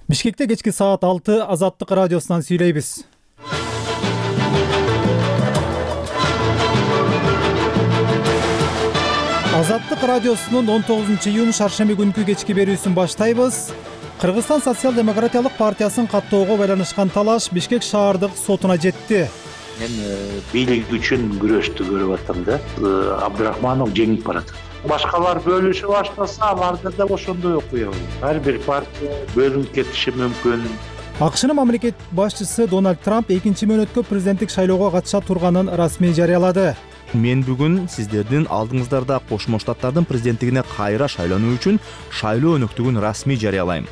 Бишкекте кечки саат 6 Азаттык радиосунан сүйлөйбүз. Азаттык радиосунун 19-июнь шаршемби күнкү кечки берүүсүн баштайбыз. Кыргызстан социал-демократиялык партиясын каттоого байланышкан талаш Бишкек шаардык сотуна жетти. Мен бийлик үчүн күрөштү көрүп атам да. Абдрахманов жеңип барат. Башкалар бөлүшүп баштаса, аларда да ошондой окуя болот. Ар бир партия бөлүнүп кетиши мүмкүн. АКШнын мамлекет башчысы Дональд Трамп экинчи мөөнөткө президенттик шайлоого катыша турганын расмий жарыялады. Мен бүгүн сиздердин алдыңыздарда Кошмо Штаттардын президенттигине кайра шайлануу үчүн шайлоо өнөктүгүн расмий жарыялайм.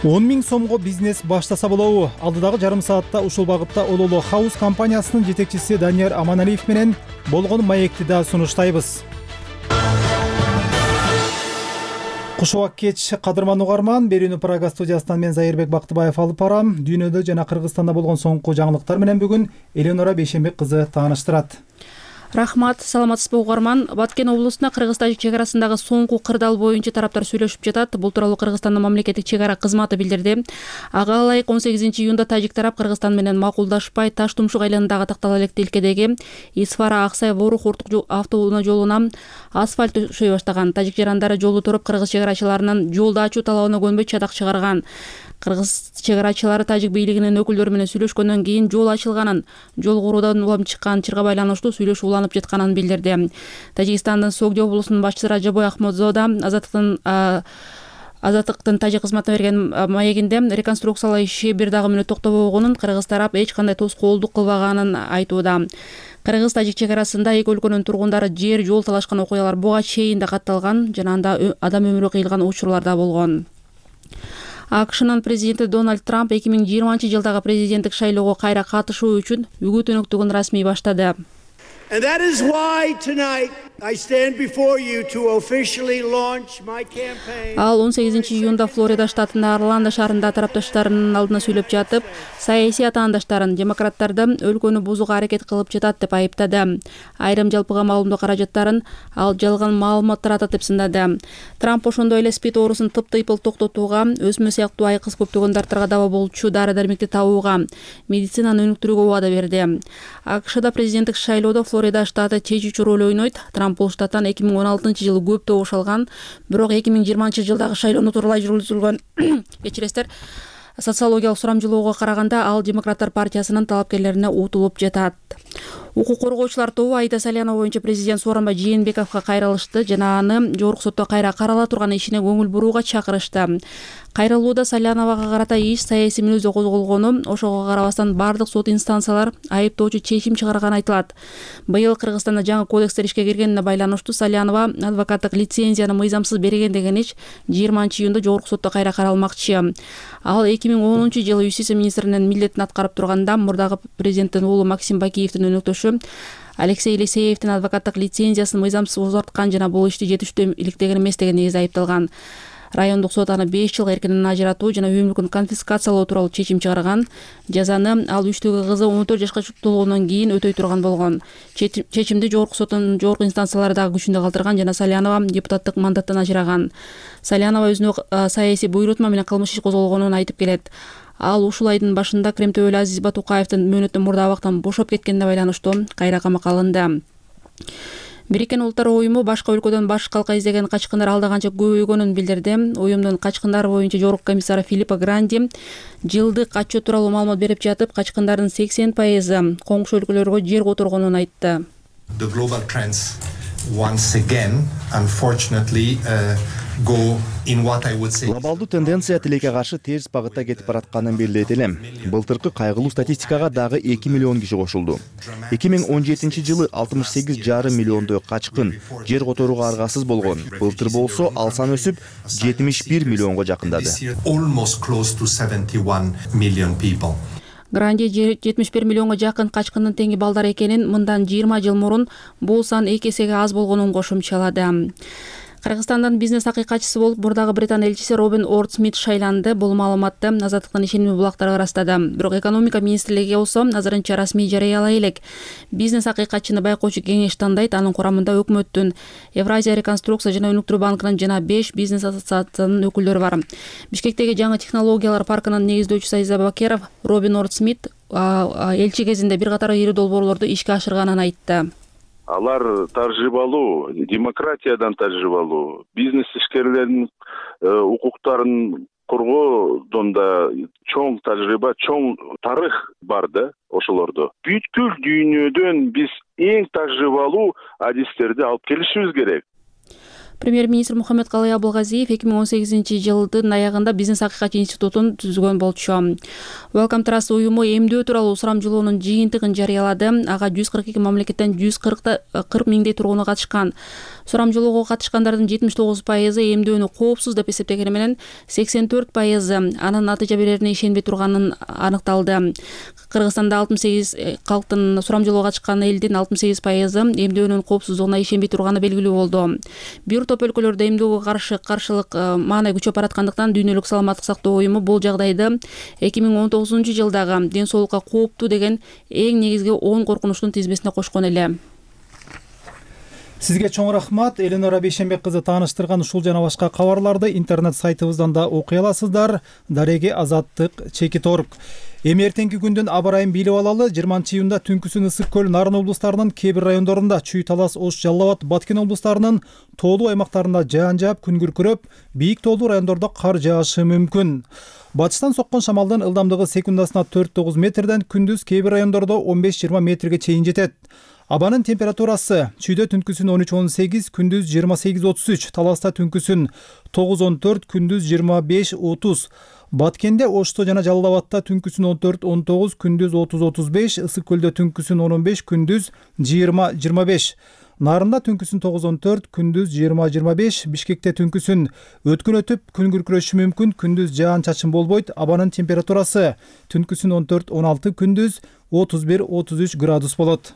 10 000 сомго бизнес баштаса болобу? Алдыдагы жарым саатта ушул багытта Ололо Хаус компаниясынын жетекчиси Данияр Аманалиев менен болгон маекти да сунуштайбыз. Куш убак кеч, кадырман угарман. Берүүнү Прага студиясынан мен Зайырбек Бактыбаев алып барам. Дүйнөдө жана Кыргызстанда болгон соңку жаңылыктар менен бүгүн Эленора Бейшембек кызы тааныштырат. Рахмат, саламатсызбы угарман. Баткен облусунда Кыргыз-Тажик чек арасындагы соңку кырдаал боюнча тараптар сүйлөшүп жатат. Бул тууралуу Кыргызстандын мамлекеттик чек ара кызматы билдирди. Ага ылайык 18-июнда тажик тарап Кыргызстан менен макулдашпай Таш Тумшук айланындагы Тактал Электе илкедеги Исфара Аксай Ворух Уртук автоунаа жолуна асфальт төшөй баштаган. Тажик жарандары жолду туруп кыргыз чек арачыларынын жолду ачуу талабына көнбөй чадак чыгарган. Кыргыз чек арачылары тажик бийлигинин өкүлдөрү менен сүйлөшкөндөн кийин жол ачылганын, жол куруудан улам чыккан чырга байланыштуу сүйлөшүү уланып жатканын билдирди. Тажикстандын Согди облусунун башчысы Ражабой Ахмадзода Азаттыктын тажик кызматына берген маегинде реконструкциялоо иши бир дагы мүнөт токтобогонун, кыргыз тарап эч кандай тоскоолдук кылбаганын айтууда. Кыргыз-Тажик чек арасында эки өлкөнүн тургундары жер жол талашкан окуялар буга чейин да катталган жана анда адам өмүрү кыйылган учурлар да болгон. АКШнын президенти Дональд Трамп 2020-жылдагы президенттик шайлоого кайра катышуу үчүн үгүт өнөктүгүн расмий баштады. Ал 18-июнда Флорида штатында Орландо шаарында тарапташтарынын алдына сүйлөп жатып, саясий атаандаштарын демократтарды өлкөнү бузууга аракет кылып жатат деп айыптады. Айрым жалпыга маалымдоо каражаттарын ал жалган маалымат таратат деп сындады. Трамп ошондой эле СПИД оорусун тыптыйпыл токтотууга, өсмө сыяктуу айкыз көптөгөн дарттарга даба болчу дары-дармекти табууга, медицинаны өнүктүрүүгө убада берди. АКШда президенттик шайлоодо Флорида штаты чечүүчү роль ойнойт. Трамп бул штаттан 2016-жылы көп добуш алган, бирок 2020-жылдагы шайлоону тууралай жүргүзүлгөн кечиресиздер социологиялык сурамжылоого караганда ал демократтар партиясынын талапкерлерине утулуп жатат. Укук коргоочулар тобу Аида Салянова боюнча президент Сооронбай Жээнбековго кайрылышты жана аны жогорку сотто кайра карала турган ишине көңүл бурууга чакырышты. Кайрылууда Саляновага карата иш саясий мүнөздө козголгону, ошого карабастан бардык сот инстанциялар айыптоочу чечим чыгарганы айтылат. Быйыл Кыргызстанда жаңы кодекстер ишке киргенине байланыштуу Салянова адвокаттык лицензияны мыйзамсыз берген деген иш 20-июнда жогорку сотто кайра каралмакчы. Ал 2010-жылы юстиция министринин милдетин аткарып турганда мурдагы президенттин уулу Максим Бакиевдин өнөктөшү Алексей Елисеевдин адвокаттык лицензиясын мыйзамсыз узарткан жана бул ишти жетиштүү иликтеген эмес деген негизде айыпталган. Райондук сот аны 5 жылга эркинен ажыратуу жана үй мүлкүн конфискациялоо тууралуу чечим чыгарган. Жазаны ал 3-төгү кызы 14 жашка толгондон кийин өтөй турган болгон. Чечимди жогорку соттун жогорку инстанциялары дагы күчүндө калтырган жана Салянова депутаттык мандаттан ажыраган. Салянова өзүнө саясий буйрутма менен кылмыш иш козголгонун айтып келет. Ал ушул айдын башында Кремтөбөлү Азиз Батукаевдин мөөнөттөн мурда абактан бошоп кеткенине байланыштуу кайра камакка алынды. Бириккен Улуттар уюму башка өлкөдөн баш калка издеген качкындар алда канча көбөйгөнүн билдирди. Уюмдун качкындар боюнча жогорку комиссары Филиппо Гранди жылдык отчет тууралуу маалымат берип жатып, качкындардын 80% коңшу өлкөлөргө жер которгонун айтты. Глобалдуу тенденция тилекке каршы терс багытта кетип баратканын билдирет элем. Былтыркы кайгылуу статистикага дагы 2 миллион киши кошулду. 2017-жылы 68,5 миллиондой качкын жер которууга аргасыз болгон. Былтыр болсо ал сан өсүп 71 миллионго жакындады. Гранди 71 миллионго жакын качкындын теңи балдар экенин, мындан 20 жыл мурун бул сан 2 эсеге аз болгонун кошумчалады. Кыргызстандын бизнес акыйкатчысы болуп мурдагы Британ элчиси Робин Орд-Смит шайланды. Бул маалыматты Азаттыктын ишенимдүү булактары ырастады. Бирок экономика министрлиги болсо азырынча расмий жарыялай элек. Бизнес акыйкатчыны байкоочу кеңеш тандайт. Анын курамында өкмөттүн, Евразия реконструкция жана өнүктүрүү банкынын жана 5 бизнес ассоциациянын өкүлдөрү бар. Бишкектеги жаңы технологиялар паркынын негиздөөчүсү Айза Бакеров Робин Орд-Смит элчи кезинде бир катар ири долбоорлорду ишке ашырганын айтты. Алар тажрыйбалуу, демократиядан тажрыйбалуу, бизнес ишкерлердин укуктарын коргоодон да чоң тажрыйба, чоң тарых бар да ошолордо. Бүткүл дүйнөдөн биз эң тажрыйбалуу адистерди алып келишибиз керек. Премьер-министр Мухаммедкалый Абылгазиев 2018-жылдын аягында бизнес акыйкатчы институтун түзгөн болчу. Welcome Trust уюму эмдөө тууралуу сурамжылоонун жыйынтыгын жарыялады. Ага 142 мамлекеттен 140 миңдей тургуну катышкан. Сурамжылоого катышкандардын 79% эмдөөнү коопсуз деп эсептегени менен 84% анын натыйжа берерине ишенбей турганын аныкталды. Кыргызстанда 68 калктын сурамжылоого катышкан элдин 68% эмдөөнүн коопсуздугуна ишенбей турганы белгилүү болду. Бир топ өлкөлөрдө эмдөөгө каршылык маанай күчөп бараткандыктан Дүйнөлүк саламаттык сактоо уюму бул жагдайды 2019-жылдагы ден соолукка кооптуу деген эң негизги 10 коркунучтун тизмесине кошкон эле. Сизге чоң рахмат. Эленора Бейшембек кызы тааныштырган ушул жана башка кабарларды интернет сайтыбыздан да окуй аласыздар. Дареги Азаттык /org. Эми эртеңки күндүн аба ырайын билип алалы. 20-июнда түнкүсүн Ысык көл, Нарын облустарынын кээ бир райондорунда, Чүй, Талас, Ош, Жалал Абад, Баткен облустарынын тоолуу аймактарында жаан жаап, күн күркүрөп, бийик тоолуу райондордо кар жаашы мүмкүн. Батыштан соккон шамалдын ылдамдыгы секундасына 4-9 метрден, күндүз кээ бир райондордо 15-20 метрге чейин жетет. Абанын температурасы Чүйдө түнкүсүн 13-18, күндүз 28-33, Таласта түнкүсүн 9-14, күндүз 25-30. Баткенде, Ошто жана Жалал Абадта түнкүсүн 14-19, күндүз 30-35, Ысык көлдө түнкүсүн 15, күндүз 20-25. Нарында түнкүсүн 9-14, күндүз 20-25, Бишкекте түнкүсүн өткөн өтүп, күн күркүрөшү мүмкүн, күндүз жаан чачын болбойт. Абанын температурасы түнкүсүн 14-16, күндүз 31-33 градус болот.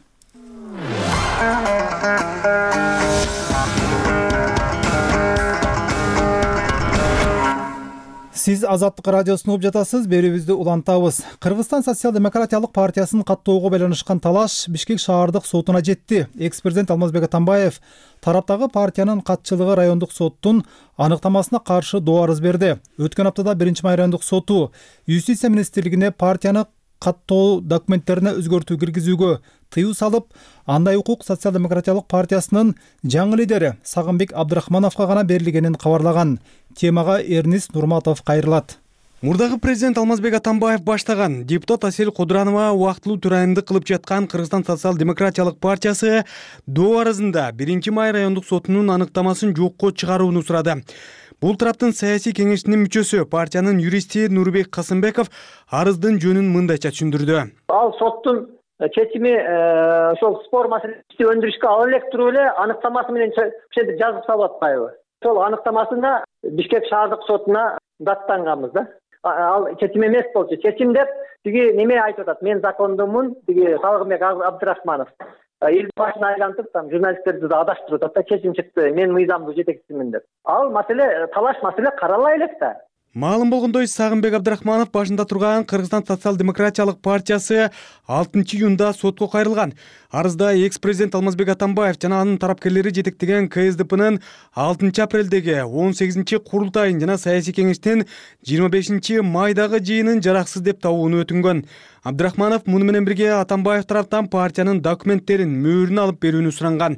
Сиз Азаттык радиосун угуп жатасыз, берүүбүздү улантабыз. Кыргызстан социал-демократиялык партиясын каттоого байланышкан талаш Бишкек шаардык сотуна жетти. Экс-президент Алмазбек Атамбаев тараптагы партиянын катчылыгы райондук соттун аныктамасына каршы доо арыз берди. Өткөн аптада 1-май райондук соту Юстиция министрлигине партияны каттоо документтерине өзгөртүү киргизүүгө тыюу салып, андай укук социал-демократиялык партиясынын жаңы лидери Сагынбек Абдрахмановго гана берилгенин кабарлаган. Темага Эрнист Нурматов кайрылат. Мурдагы президент Алмазбек Атамбаев баштаган, депутат Асель Кудуранова убактылуу төрайымдык кылып жаткан Кыргызстан социал-демократиялык партиясы доо арызында 1-май райондук сотунун аныктамасын жокко чыгарууну сурады. Бул тараптын саясий кеңешинин мүчөсү, партиянын юристи Нурбек Касымбеков арыздын жөнүн мындайча түшүндүрдү. Ал соттун чечими ошол спор маселесин өндүрүшкө ала элек туруп эле аныктамасы менен жазып салып атпайбы? Ошол аныктамасында Бишкек шаардык сотуна даттанганбыз да. Ал чечим эмес болчу. Чечим деп тиги неме айтып атат. Мен закондумун, тиги Сагынбек Абдрахманов. Эл башына айлантып, там журналисттерди да адаштырып атат да, чечим чыкты. Мен мыйзамдуу жетекчисимин деп. Ал маселе, талаш маселе каралай элек да. Маалым болгондой, Сагынбек Абдрахманов башында турган Кыргызстан социал-демократиялык партиясы 6-июнда сотко кайрылган. Арызда экс-президент Алмазбек Атамбаев жана анын тарапкерлери жетектеген КСДПнын 6-апрелдеги 18 курултайын жана саясий кеңештин 25 майдагы жыйынын жараксыз деп табууну өтүнгөн. Абдрахманов муну менен бирге Атамбаев тараптан партиянын документтерин мөөрүн алып берүүнү суранган.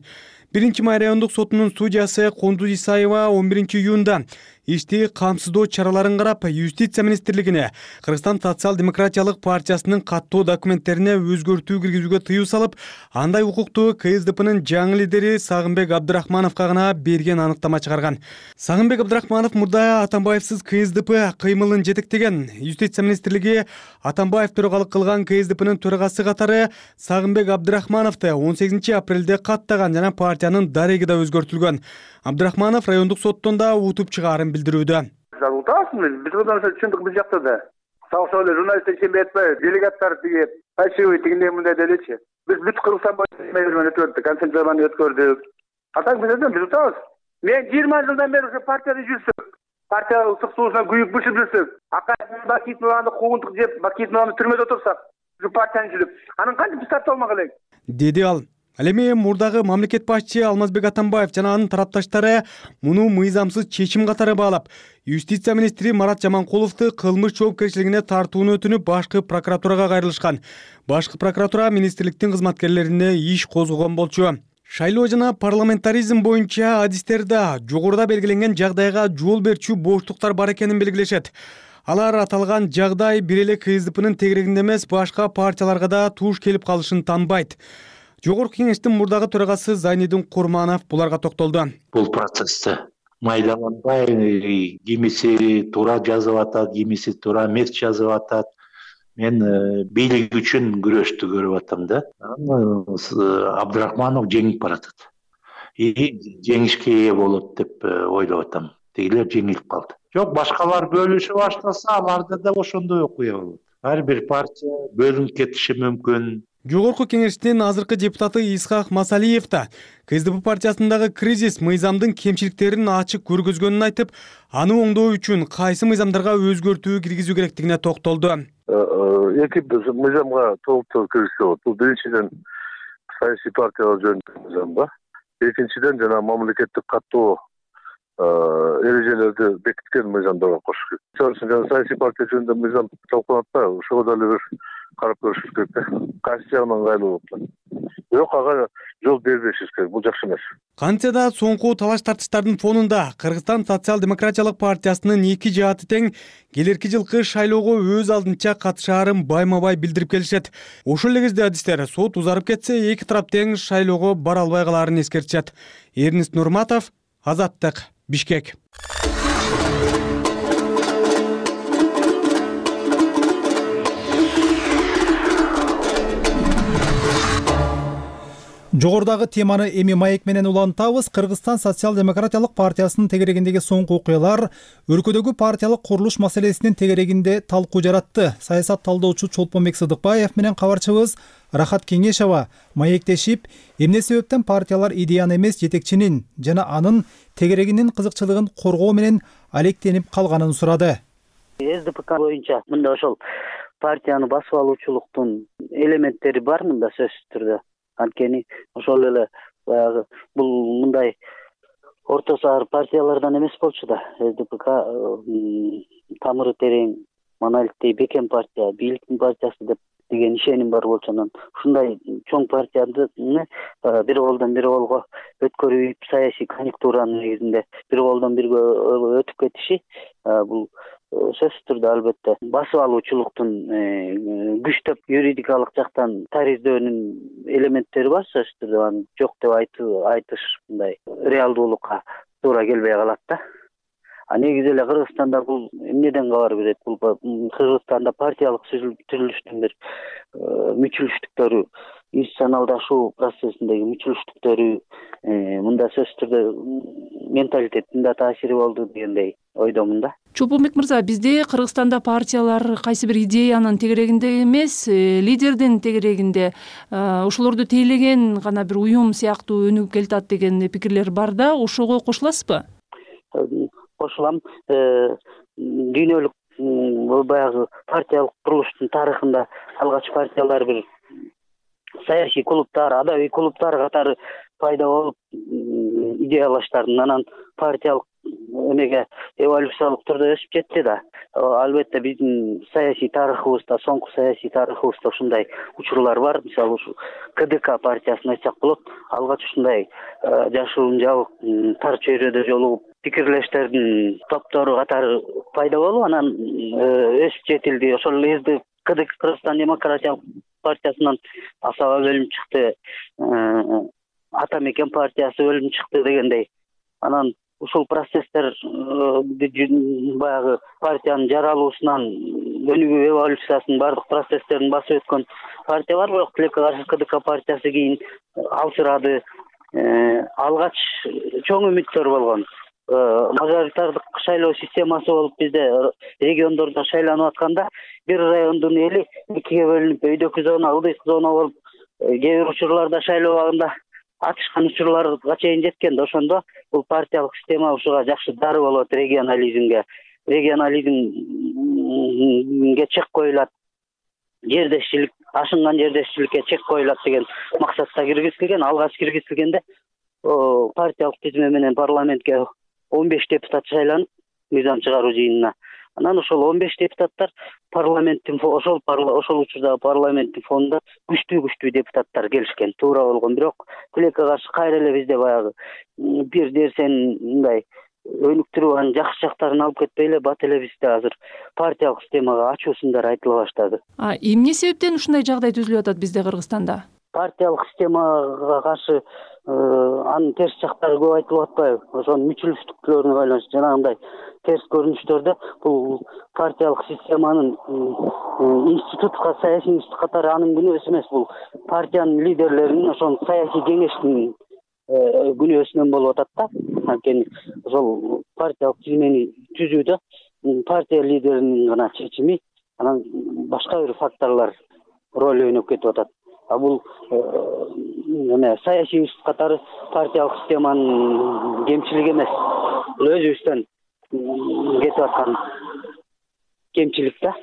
1-май райондук сотунун судьясы Кондуз Исаева 11-июнда ишти камсыздоо чараларын карап, Юстиция министрлигине Кыргызстан социал-демократиялык партиясынын каттоо документтерине өзгөртүү киргизүүгө тыюу салып, андай укукту КСДПнын жаңы лидери Сагынбек Абдрахмановго гана берген аныктама чыгарган. Сагынбек Абдрахманов мурда Атамбаевсыз КСДП кыймылын жетектеген. Юстиция министрлиги Атамбаев төрагалык кылган КСДПнын төрагасы катары Сагынбек Абдрахмановду 18 апрелде каттаган жана партиянын дареги да өзгөртүлгөн. Абдрахманов райондук соттон да утуп чыгаарын билдирүүдө. Утасызбы, биз мындан түшүндүк, биз жакта да. Сау эле журналисттер ишенбей атпайбы, делегаттар тиги фальшивый тигиндей мындай делечи. Биз бүт Кыргызстан боюнча өтүп өттүк, концентрияманы өткөрдүк. Атаң биз утабыз. Мен 20 жылдан бeri ошо партияда жүрсөм, партия ысык суусунан күйүп бышып жүрсөм, Бакитованы куугунтук жеп, Бакитованы түрмөдө отурсак, ушу партияны жүрүп, анан кантип биз тартып алмак элек? Деди ал. Ал эми мурдагы мамлекет башчы Алмазбек Атамбаев жана анын тарапташтары муну мыйзамсыз чечим катары баалап, юстиция министри Марат Жаманкуловду кылмыш жоопкерчилигине тартууну өтүнүп башкы прокуратурага кайрылышкан. Башкы прокуратура министрликтин кызматкерлерине иш козгогон болчу. Шайлоо жана парламентаризм боюнча адистерде жогоруда белгиленген жагдайга жол берчү боштуктар бар экенин белгилешет. Алар аталган жагдай бир эле КСДПнын тегерегинде эмес, башка партияларга да туш келип калышын тааныбайт. Жогорку кеңештин мурдагы төрагасы Зайнидин Курманов буларга токтолду. Бул процессте майдаланбай, кимиси туура жазып атат, кимиси туура эмес жазып атат. Мен бийлик үчүн күрөштү көрүп атам да. Абдрахманов жеңип баратат. Жеңишке ээ болот деп ойлоп атам. Тегилер жеңилип калды. Жок, башкалар бөлүшүп баштаса, аларда да ошондой окуя болот. Ар бир партия бөлүнүп кетиши мүмкүн. Жогорку кеңештин азыркы депутаты Исхак Масалиев да КСДП партиясындагы кризис мыйзамдын кемчиликтерин ачык көргөзгөнүн айтып, аны оңдоо үчүн кайсы мыйзамдарга өзгөртүү киргизүү керектигине токтолду. Эки мыйзамга толуктуу киргизсе болот. Бул биринчиден саясий партиялар жөнүндө мыйзам да. Экинчиден жана мамлекеттик каттоо эрежелерди бекиткен мыйзамдарга кошуш керек. Саясий партия жөнүндө мыйзам талкууланат да, ошого дагы бир карап көрүшүбүз керек да. Кайсы жагынан ыңгайлуу болот. Бирок ага жол бербешибиз керек. Бул жакшы эмес. Кантсе да соңку талаш тартыштардын фонунда Кыргызстан социал-демократиялык партиясынын эки жааты тең келерки жылкы шайлоого өз алдынча катышаарын байма-бай билдирип келишет. Ошол эле кезде адистер сот узарып кетсе, эки тарап тең шайлоого бара албай калаарын эскертишет. Эрнист Нурматов, Азаттык, Бишкек. Жогорудагы теманы эми маек менен улантабыз. Кыргызстан социал-демократиялык партиясынын тегерегиндеги соңку окуялар өлкөдөгү партиялык курулуш маселесинин тегерегинде талкуу жаратты. Саясат талдоочу Чолпонбек Сыдыкбаев менен кабарчыбыз Рахат Кеңешова маектешип, эмне себептен партиялар идеяны эмес, жетекчинин жана анын тегерегинин кызыкчылыгын коргоо менен алектенип калганын сурады. СДПК боюнча мында ошол партияны басып алуучулуктун элементтери бар мында сөзсүз түрдө. Анткени ошол эле баягы бул мындай орто саар партиялардан эмес болчу да. СДПК тамыры терең, монолиттей бекем партия, бийликтин партиясы деген ишеним бар болчу. Анан ушундай чоң партияны бир колдон бир колго өткөрүп, саясий конъюнктуранын негизинде бир колдон бирге өтүп кетиши бул сөзсүз түрдө албетте басып алуучулуктун күчтөп юридикалык жактан тариздөөнүн элементтери бар. Сөзсүз түрдө аны жок деп айтыш мындай реалдуулукка туура келбей калат да. Негизи эле Кыргызстанда бул эмнеден кабар берет? Бул Кыргызстанда партиялык түзүлүштүн бир мүчүлүштүктөрү, институционалдашуу процессиндеги мүчүлүштүктөрү мында сөзсүз түрдө менталитеттин да таасири болду дегендей ойдомун да. Чолпонбек мырза, бизде Кыргызстанда партиялар кайсы бир идеянын тегерегинде эмес, лидердин тегерегинде ошолорду тейлеген гана бир уюм сыяктуу өнүгүп келатат деген пикирлер бар да. Ошого кошуласызбы? Кошулам. Дүйнөлүк баягы партиялык курулуштун тарыхында алгач партиялар бир саясий клубтар, адабий клубтар катары пайда болуп идеялаштардын анан партиялык эмеге эволюциялык түрдө өсүп жетти да. Албетте биздин саясий тарыхыбызда, соңку саясий тарыхыбызда ушундай учурлар бар. Мисалы ушу КДК партиясын айтсак болот. Алгач ушундай жашыруун жабык тар чөйрөдө жолугуп пикирлештердин топтору катары пайда болуп, анан өсүп жетилди. Ошол эле КДК Кыргызстан демократиялык партиясынан Асаба бөлүнүп чыкты, Атамекен партиясы бөлүнүп чыкты дегендей. Анан ушул процесстер баягы партиянын жаралуусунан өнүгүү эволюциясынын бардык процесстерин басып өткөн партия бар, бирок тилекке каршы КДК партиясы кийин алсырады. Алгач чоң үмүттөр болгон. Мажоритардык шайлоо системасы болуп бизде региондордо шайланып атканда бир райондун эли экиге бөлүнүп өйдөкү зона, ылдыйкы зона болуп, кээ бир учурларда шайлоо абагында ачышкан учурларга чейин жеткен да, ошондо бул партиялык система ушуга жакшы дары болот. Регионализмге чек коюлат, жердешчилик, ашынган жердешчиликке чек коюлат деген максатта киргизилген. Алгач киргизилгенде партиялык тизме менен парламентке 15 депутат шайланып, мыйзам чыгаруу жыйынына. Анан ошол 15 депутаттар парламенттин ошол учурдагы парламенттин фонунда күчтүү депутаттар келишкен. Туура болгон. Бирок тилекке каршы кайра эле бизде баягы бир нерсени мындай өнүктүрүп анын жакшы жактарын алып кетпей эле бат эле бизде азыр партиялык системага ачуусундар айтыла баштады. Эмне себептен ушундай жагдай түзүлүп атат бизде Кыргызстанда? Партиялык системага каршы анын терс жактары көп айтылып атпайбы? Ошонун мүчүлүштүктөрүнө байланыштуу жанагындай терс көрүнүштөрдө бул партиялык системанын саясий институт катары анын күнөөсү эмес, бул партиянын лидерлеринин ошол саясий кеңештин күнөөсүнөн болуп атат да. Анткени ошол партиялык тизмени түзүүдө партия лидеринин гана чечими, анан башка бир факторлор роль ойноп кетип атат. А бул саясий институт катары партиялык системанын кемчилиги эмес. Бул өзүбүздөн кетип аткан кемчилик да.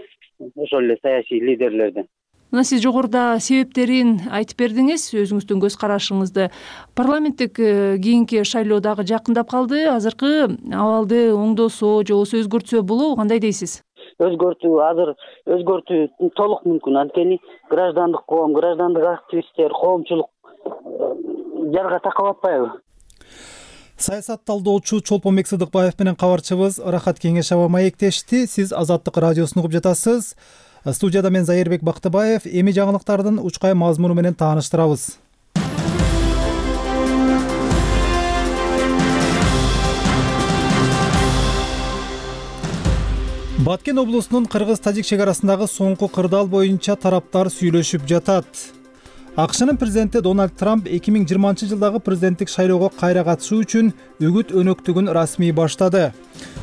Ошол эле саясий лидерлерден. Мына сиз жогоруда себептерин айтып бердиңиз, өзүңүздүн көз карашыңызды. Парламенттик кийинки шайлоо дагы жакындап калды. Азыркы абалды оңдосо же болбосо өзгөртсө болобу, кандай дейсиз? Өзгөртүү толук мүмкүн. Анткени граждандык коом, граждандык активисттер, коомчулук жарга такап атпайбы? Саясат талдоочу Чолпонбек Сыдыкбаев менен кабарчыбыз Рахат Кеңешова маектешти. Сиз Азаттык радиосун угуп жатасыз. Студияда мен Зайырбек Бактыбаев. Эми жаңылыктардын учкай мазмуну менен тааныштырабыз. Баткен облусунун кыргыз-тажик чек арасындагы соңку кырдаал боюнча тараптар сүйлөшүп жатат. АКШнын президенти Дональд Трамп 2020 жылдагы президенттик шайлоого кайра катышуу үчүн үгүт өнөктүгүн расмий баштады.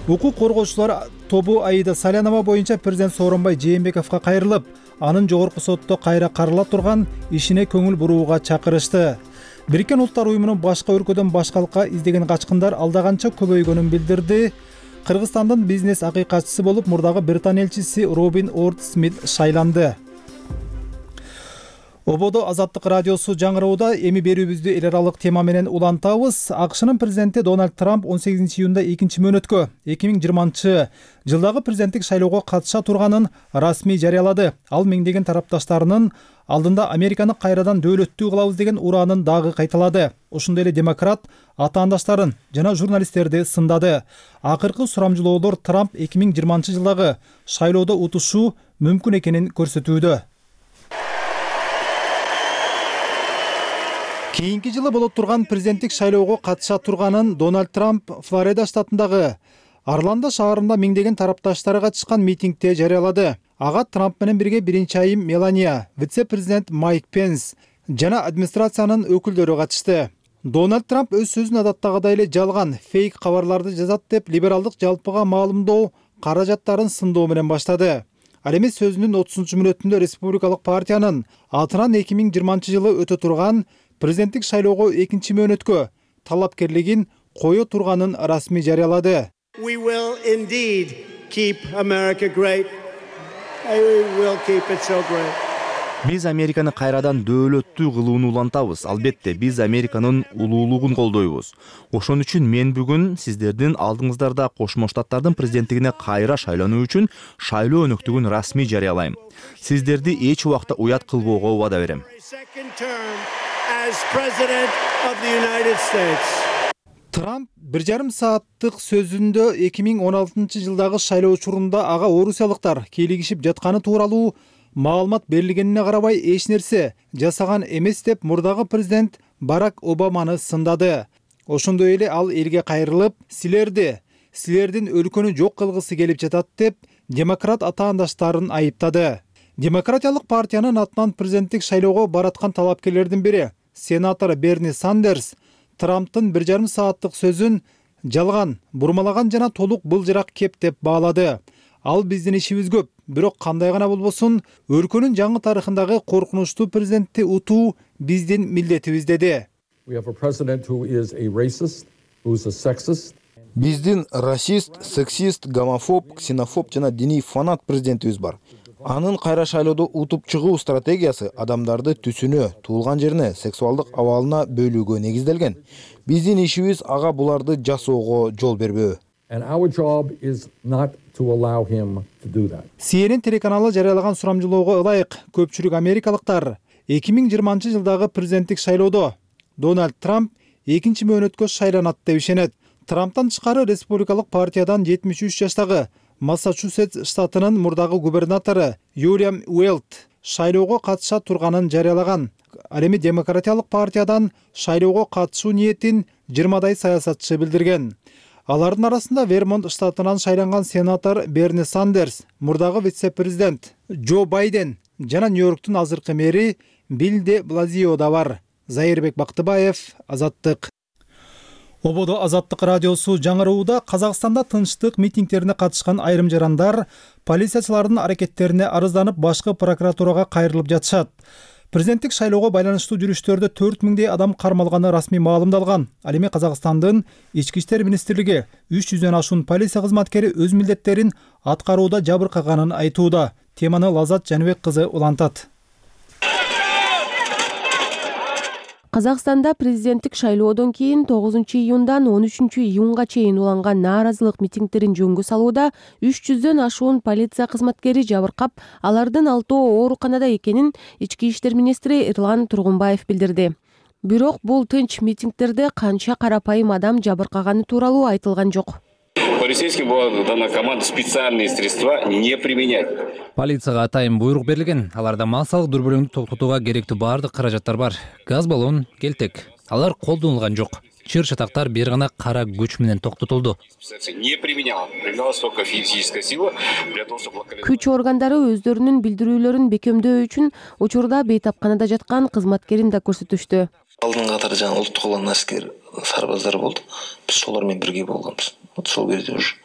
Укук коргоочулар тобу Аида Салянова боюнча президент Сооронбай Жээнбековго кайрылып, анын жогорку сотто кайра карала турган ишине көңүл бурууга чакырышты. Бириккен Улуттар уюмунун башка өлкөдөн башкалыкка издеген качкындар алда канча көбөйгөнүн билдирди. Кыргызстандын бизнес акыйкатчысы болуп мурдагы Британ элчиси Робин Орд Смит шайланды. Ободо Азаттык радиосу жаңыроодо эми берүүбүздү эл аралык тема менен улантабыз. АКШнын президенти Дональд Трамп 18 июнда экинчи мөөнөткө 2020 жылдагы президенттик шайлоого катыша турганын расмий жарыялады. Ал миңдеген тарапташтарынын алдында Американы кайрадан дөөлөттүү кылабыз деген ураанын дагы кайталады. Ошондой эле демократ атаандаштарын жана журналисттерди сындады. Акыркы сурамжылоолор Трамп 2020 жылдагы шайлоодо утушу мүмкүн экенин көрсөтүүдө. Кийинки жылы болот турган президенттик шайлоого катыша турганын Дональд Трамп Флорида штатындагы Орландо шаарында миңдеген тарапташтары катышкан митингде жарыялады. Ага Трамп менен бирге биринчи айым Мелания, вице-президент Майк Пенс жана администрациянын өкүлдөрү катышты. Дональд Трамп өз сөзүн адаттагыдай эле жалган, фейк кабарларды жазат деп либералдык жалпыга маалымдоо каражаттарын сындоо менен баштады. Ал эми сөзүнүн 30-мүнөтүндө республикалык партиянын атынан 2020 жылы өтө турган президенттик шайлоого экинчи мөөнөткө талапкерлигин кое турганын расмий жарыялады. We will indeed keep America great. We will keep it so great. Биз Американы кайрадан дөөлөттүү кылууну улантабыз. Албетте, биз Американын улуулугун колдойбуз. Ошон үчүн мен бүгүн сиздердин алдыңыздарда Кошмо Штаттардын президенттигине кайра шайлануу үчүн шайлоо өнөктүгүн расмий жарыялайм. Сиздерди эч убакта уят кылбоого убада берем. Трамп 1,5 сааттык сөзүндө 2016 жылдагы шайлоо учурунда ага орусиялыктар кийлигишип жатканы тууралуу маалымат берилгенине карабай эч нерсе жасаган эмес деп мурдагы президент Барак Обаманы сындады. Ошондой эле ал элге кайрылып, силердин өлкөнү жок кылгысы келип жатат деп демократ атаандаштарын айыптады. Демократиялык партиянын атынан президенттик шайлоого бараткан талапкерлердин бири сенатор Берни Сандерс Трамптын 1,5 сааттык сөзүн жалган, бурмалаган жана толук былжырак кеп деп баалады. Ал биздин ишибиз көп, бирок кандай гана болбосун, өлкөнүн жаңы тарыхындагы коркунучтуу президентти утуу биздин милдетибиз деди. Биздин расист, сексист, гомофоб, ксенофоб жана диний фанат президентибиз бар. Анын кайра шайлоодо утуп чыгуу стратегиясы адамдарды түсүнө, туулган жерине, сексуалдык абалына бөлүүгө негизделген. Биздин ишибиз ага буларды жасоого жол бербөө. CNN телеканалы жарыялаган сурамжылоого ылайык көпчүлүк америкалыктар 2020 жылдагы президенттик шайлоодо Дональд Трамп экинчи мөөнөткө шайланат деп ишенет. Трамптан тышкары республикалык партиядан 73 жаштагы Массачусетс штатынын мурдагы губернатору Уильям Уэлт шайлоого катыша турганын жарыялаган. Ал эми демократиялык партиядан шайлоого катышуу ниетин 20 саясатчы билдирген. Алардын арасында Вермонт штатынан шайланган сенатор Берни Сандерс, мурдагы вице-президент Джо Байден жана Нью-Йорктун азыркы мэри Билл де Блазио да бар. Зайырбек Бактыбаев, Азаттык. Ободо Азаттык радиосу жаңырууда Казакстанда тынчтык митингдерине катышкан айрым жарандар полициячылардын аракеттерине арызданып башкы прокуратурага кайрылып жатышат. Президенттик шайлоого байланыштуу жүрүштөрдө 4000 адам кармалганы расмий маалымдалган. Ал эми Казакстандын Ички иштер министрлиги 300дөн ашуун полиция кызматкери өз милдеттерин аткарууда жабыркаганын айтууда. Теманы Лазат Жаныбек кызы улантат. Казакстанда президенттик шайлоодон кийин 9-июндан 13-июнга чейин уланган нааразылык митингдерин жөнгө салууда 300дөн ашуун полиция кызматкери жабыркап, алардын 6 ооруканада экенин Ички иштер министри Эрлан Тургунбаев билдирди. Бирок бул тынч митингдерде канча карапайым адам жабыркаганы тууралуу айтылган жок. Полицейским была дана команда специальные средства не применять. Полицияга атайын буйрук берилген. Аларда массалык дүрбөлөңдү токтотууга керектүү баардык каражаттар бар. Газ баллон, келтек. Алар колдонулган жок. Чыр чатактар бир гана кара күч менен токтотулду. Не применялась только физическая сила для того, чтобы Күч органдары өздөрүнүн билдирүүлөрүн бекемдөө үчүн учурда бейтапканада жаткан кызматкерин да көрсөтүштү. Алдын катары жаңы улуттук улан аскер сарбаздар болду. Биз солар менен бирге болгонбуз. Сол кезде уж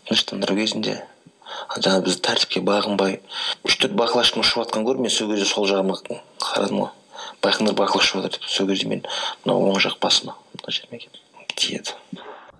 тынчтандыруу кезинде жаңы биз тартипке багынбай 3-4 бакылашкан ушуп аткан көрүп, мен сол кезде сол жагыма карадым го. Байкындар бакылашып атат деп, сол кезде мен мына оң жак басыма мына жериме тиет.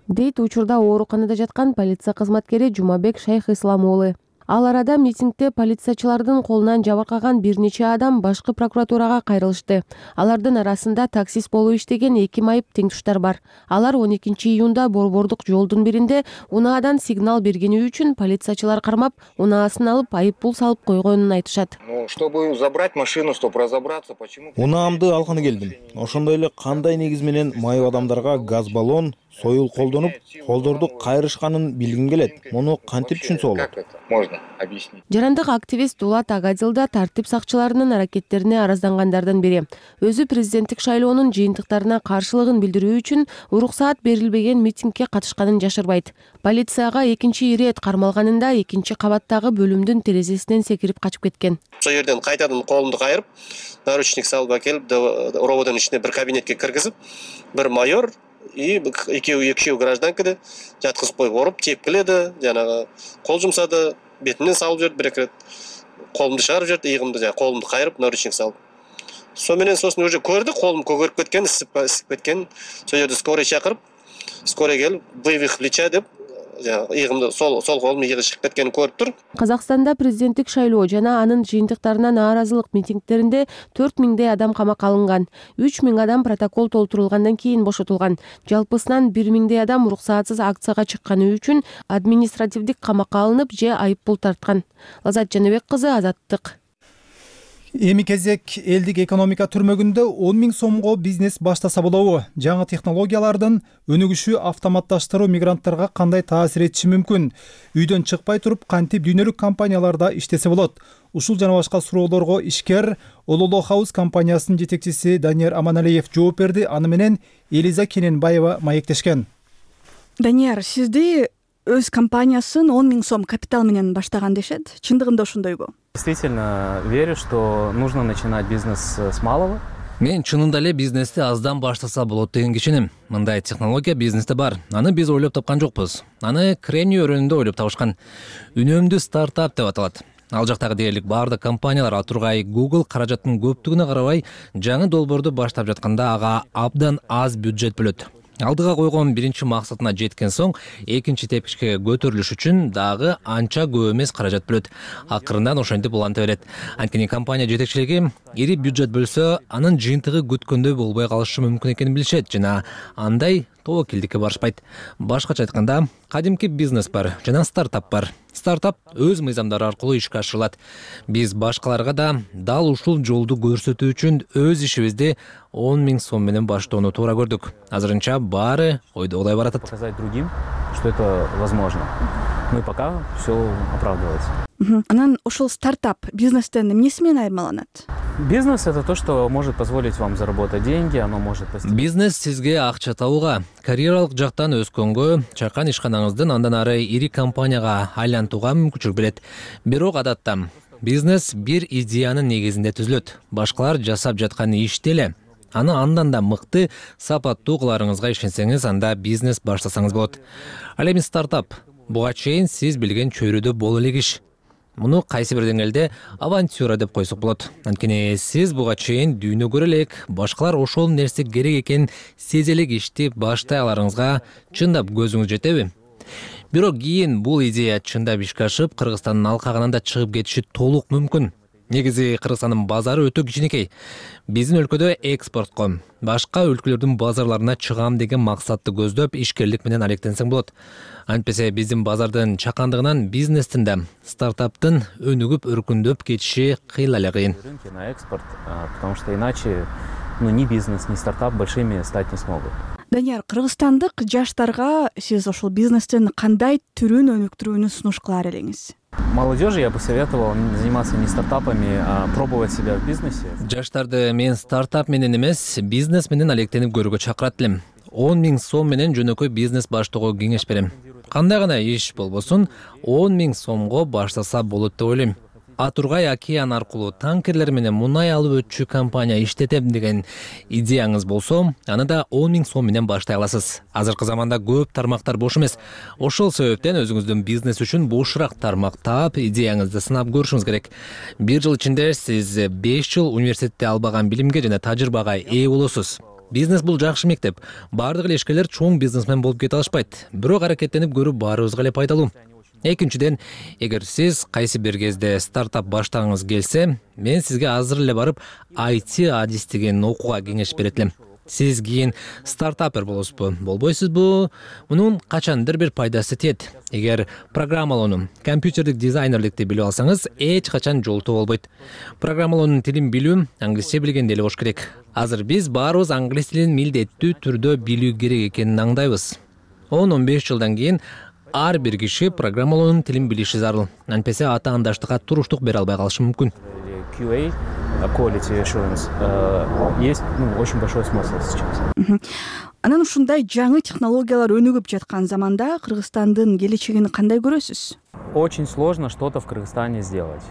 Дейт учурда ооруканада жаткан полиция кызматкери Жумабек Шайх Ислам уулу. Ал арада митингде полициячылардын колунан жабыркаган бир нече адам башкы прокуратурага кайрылышты. Алардын арасында таксист болуп иштеген 2 майып теңтуштар бар. Алар 12-июнда борбордук жолдун биринде унаадан сигнал бергени үчүн полициячылар кармап, унаасын алып айыппул салып койгонун айтышат. Чтобы забрать машину, чтобы разобраться, почему... Унаамды алганы келдим. Ошондой эле кандай негиз менен майып адамдарга газ баллон, союл колдонуп, колдорду кайрышканын билгим келет. Муну кантип түшүнсө болот? Можно объяснить. Жарандык активист Дулат Агадил да тартип сакчыларынын аракеттерине араздангандардан бири. Өзү президенттик шайлоонун жыйынтыктарына каршылыгын билдирүү үчүн уруксаат берилбеген митингге катышканын жашырбайт. Полицияга экинчи ирет кармалганында экинчи кабаттагы бөлүмдүн терезесинен секирип качып кеткен. Сол жерден кайтадан колумду кайрып, наручник салып акелип, рободун ичине бир кабинетке киргизип, бир майор и экөө гражданканы жаткызып коюп, оруп тепкиледи, жанагы кол жумсады, бетимден салып жиберди, бир эки рет колумду чыгарып жиберди, ийгимди, жана колумду кайрып, наручник салып. Сосын уже көрдү, колум көгөрүп кеткен, ысып кеткен. Сол жерде скорый чакырып, скорый келип, вывих плеча деп, ийгимди сол колум ийиги чыгып кеткенин көрүп тур. Казакстанда президенттик шайлоо жана анын жыйынтыктарына нааразылык митингдеринде 4000 адам камакка алынган. 3000 адам протокол толтурулгандан кийин бошотулган. Жалпысынан 1000 адам уруксаатсыз акцияга чыкканы үчүн административдик камакка алынып же айыппул тарткан. Лазат Жаныбек кызы, Азаттык. Эми кезек элдик экономика түрмөгүндө 10 000 сомго бизнес баштаса болобу? Жаңы технологиялардын өнүгүшү автоматташтыруу мигранттарга кандай таасир этиши мүмкүн? Үйдөн чыкпай туруп кантип дүйнөлүк компанияларда иштесе болот? Ушул жана башка суроолорго ишкер Ололо Хаус компаниясынын жетекчиси Данияр Аманалиев жооп берди. Аны менен Элиза Кененбаева маектешкен. Данияр, сизди өз компаниясын 10 000 сом капитал менен баштаган дешет. Чындыгында ошондойбу? Действительно верю, что нужно начинать бизнес с малого. Мен чынында эле бизнести аздан баштаса болот деген кишиним. Мындай технология бизнесте бар. Аны биз ойлоп тапкан жокпуз. Аны Крени өрөөнүндө ойлоп табышкан. Үнөмдүү стартап деп аталат. Ал жактагы дээрлик баардык компаниялар, ал тургай Google каражаттын көптүгүнө карабай жаңы долбоорду баштап жатканда ага абдан аз бюджет бөлөт. Алдыга койгон биринчи максатына жеткен соң, экинчи тепкичке көтөрүлүш үчүн дагы анча көп эмес каражат бөлөт. Акырындан ошентип уланта берет. Анткени компания жетекчилиги ири бюджет бөлсө, анын жыйынтыгы күткөндөй болбой калышы мүмкүн экенин билишет жана андай тобокелдикке барышпайт. Башкача айтканда, кадимки бизнес бар жана стартап бар. Стартап өз мыйзамдары аркылуу ишке ашырылат. Биз башкаларга да дал ушул жолду көрсөтүү үчүн өз ишибизди 10 000 сом менен баштоону туура көрдүк. Азырынча баары ойдогудай баратат. Показать другим, что это возможно. Ну и пока все оправдывается. Анан ошол стартап бизнестен эмнеси менен айырмаланат? Бизнес — это то, что может позволить вам заработать деньги, оно может... Бизнес сизге акча табууга, карьералык жактан өскөнгө, чакан ишканаңыздын андан ары ири компанияга айлантууга мүмкүнчүлүк берет. Бирок адатта бизнес бир идеянын негизинде түзүлөт. Башкалар жасап жаткан ишти эле. Аны андан да мыкты, сапаттуу кыларыңызга ишенсеңиз, анда бизнес баштасаңыз болот. Ал эми стартап буга чейин сиз билген чөйрөдө боло элек иш. Муну кайсы бир деңгээлде авантюра деп койсок болот. Анткени сиз буга чейин дүйнө көрө элек, башкалар ошол нерсе керек экенин сезе элек ишти баштай аларыңызга чындап көзүңүз жетеби? Бирок кийин бул идея чындап ишке ашып, Кыргызстандын алкагынан да чыгып кетиши толук мүмкүн. Негизи Кыргызстандын базары өтө кичинекей. Биздин өлкөдө экспортко, башка өлкөлөрдүн базарларына чыгам деген максатты көздөп, ишкерлик менен алектенсең болот. Антпесе биздин базардын чакандыгынан бизнестин да, стартаптын өнүгүп өркүндөп кетиши кыйла эле кыйын. Рынки на экспорт, потому что иначе ни бизнес, ни стартап большими стать не смогут. Данияр, кыргызстандык жаштарга сиз ошол бизнестин кандай түрүн өнүктүрүүнү сунуш кылар элеңиз? Молодежи я бы советовал заниматься не стартапами, а пробовать себя в бизнесе. Жаштарды мен стартап менен эмес, бизнес менен алектенип көрүүгө чакырат элем. 10 000 сом менен жөнөкөй бизнес баштоого кеңеш берем. Кандай гана иш болбосун, 10 000 сомго баштаса болот деп ойлойм. Атургай океан аркылуу танкерлер менен мунай алып өтчү компания иштетем деген идеяңыз болсо, аны да 10 000 сом менен баштай аласыз. Азыркы заманда көп тармактар бош эмес. Ошол себептен өзүңүздүн бизнес үчүн бошураак тармак таап, идеяңызды сынап көрүшүңүз керек. 1 жыл ичинде сиз 5 жыл университетте албаган билимге жана тажрыйбага ээ болосуз. Бизнес бул жакшы мектеп. Бардык эле ишкерлер чоң бизнесмен болуп кете алышпайт. Бирок аракеттенип көрүү баарыбызга эле пайдалуу. Экинчиден, эгер сиз кайсы бир кезде стартап баштагыңыз келсе, мен сизге азыр эле барып IT адистигин окууга кеңеш берет элем. Сиз кийин стартапер болосузбу, болбойсузбу? Мунун качандыр бир пайдасы тиет. Эгер программалоону, компьютердик дизайнерликти билип алсаңыз, эч качан жолтоо болбойт. Программалоонун тилин билүү, англисче билген деле болуш керек. Азыр биз баарыбыз англис тилин милдеттүү түрдө билүү керек экенин аңдайбыз. 10-15 жылдан кийин ар бир киши программалоонун тилин билиши зарыл. Антпесе атаандаштыкка туруштук бере албай калышы мүмкүн. QA, quality assurance, есть очень большой смысл сейчас. Анан ушундай жаңы технологиялар өнүгүп жаткан заманда Кыргызстандын келечегин кандай көрөсүз? Очень сложно что-то в Кыргызстане сделать.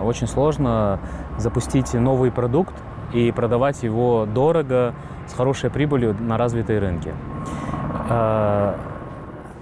Очень сложно запустить новый продукт и продавать его дорого, с хорошей прибылью на развитые рынки.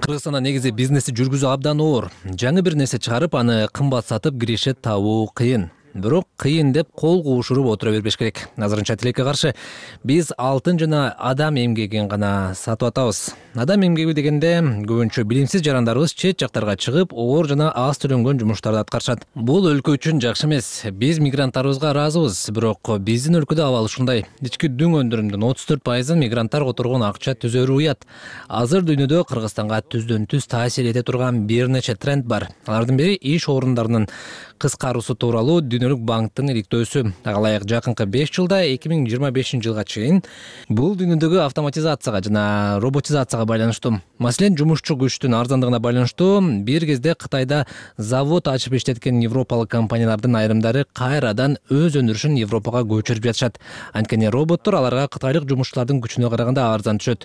Кыргызстанда негизи бизнести жүргүзүү абдан оор. Жаңы бир нерсе чыгарып, аны кымбат сатып киреше табуу кыйын. Бирок кыйын деп кол куушуруп отура бербеш керек. Азырынча тилекке каршы биз алтын жана адам эмгегин гана сатып атабыз. Адам эмгеги дегенде көбүнчө билимсиз жарандарыбыз чет жактарга чыгып, оор жана аз төлөнгөн жумуштарды аткарышат. Бул өлкө үчүн жакшы эмес. Биз мигранттарыбызга ыраазыбыз, бирок биздин өлкөдө абал ушундай. Ички дүң өндүрүмдүн 34% мигранттар которгон акча түзөрү уят. Азыр дүйнөдө Кыргызстанга түздөн-түз таасир эте турган бир нече тренд бар. Алардын бири иш орундарынын кыскаруусу тууралуу Дүнөлүк банктын иликтөөсү. Ага ылайык жакынкы 5 жылда 2025 жылга чейин бул дүйнөдөгү автоматизацияга жана роботизацияга байланыштуу. Маселен, жумушчу күчтүн арзандыгына байланыштуу бир кезде Кытайда завод ачып иштеткен европалык компаниялардын айрымдары кайрадан өз өндүрүшүн Европага көчүрүп жатышат. Анткени роботтор аларга кытайлык жумушчулардын күчүнө караганда арзан түшөт.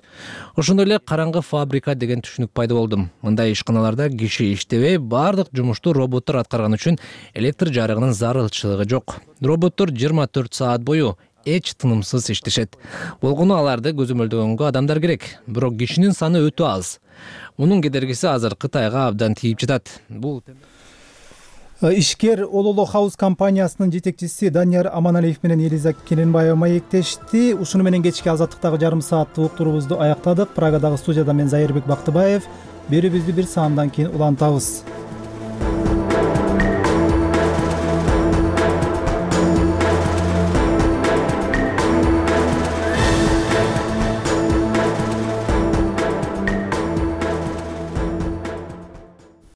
Ошондой эле караңгы фабрика деген түшүнүк пайда болду. Мындай ишканаларда киши иштебей, бардык жумушту роботтор аткарган үчүн электр жарыгынын зарылчылыгы жок. Роботтор 24 саат бою эч тынымсыз иштешет. Болгону аларды көзөмөлдөгөнгө адамдар керек, бирок кишинин саны өтө аз. Мунун кедергиси азыр Кытайга абдан тийип жатат. Бул Ишкер Ололо Хаус компаниясынын жетекчиси Данияр Аманалиев менен Элиза Керенбаева маектешти. Ушуну менен кечки Азаттыктагы жарым сааттык уктуруубузду аяктадык. Прагадагы студияда мен Зайырбек Бактыбаев. Берүүбүздү бир саамдан кийин улантабыз.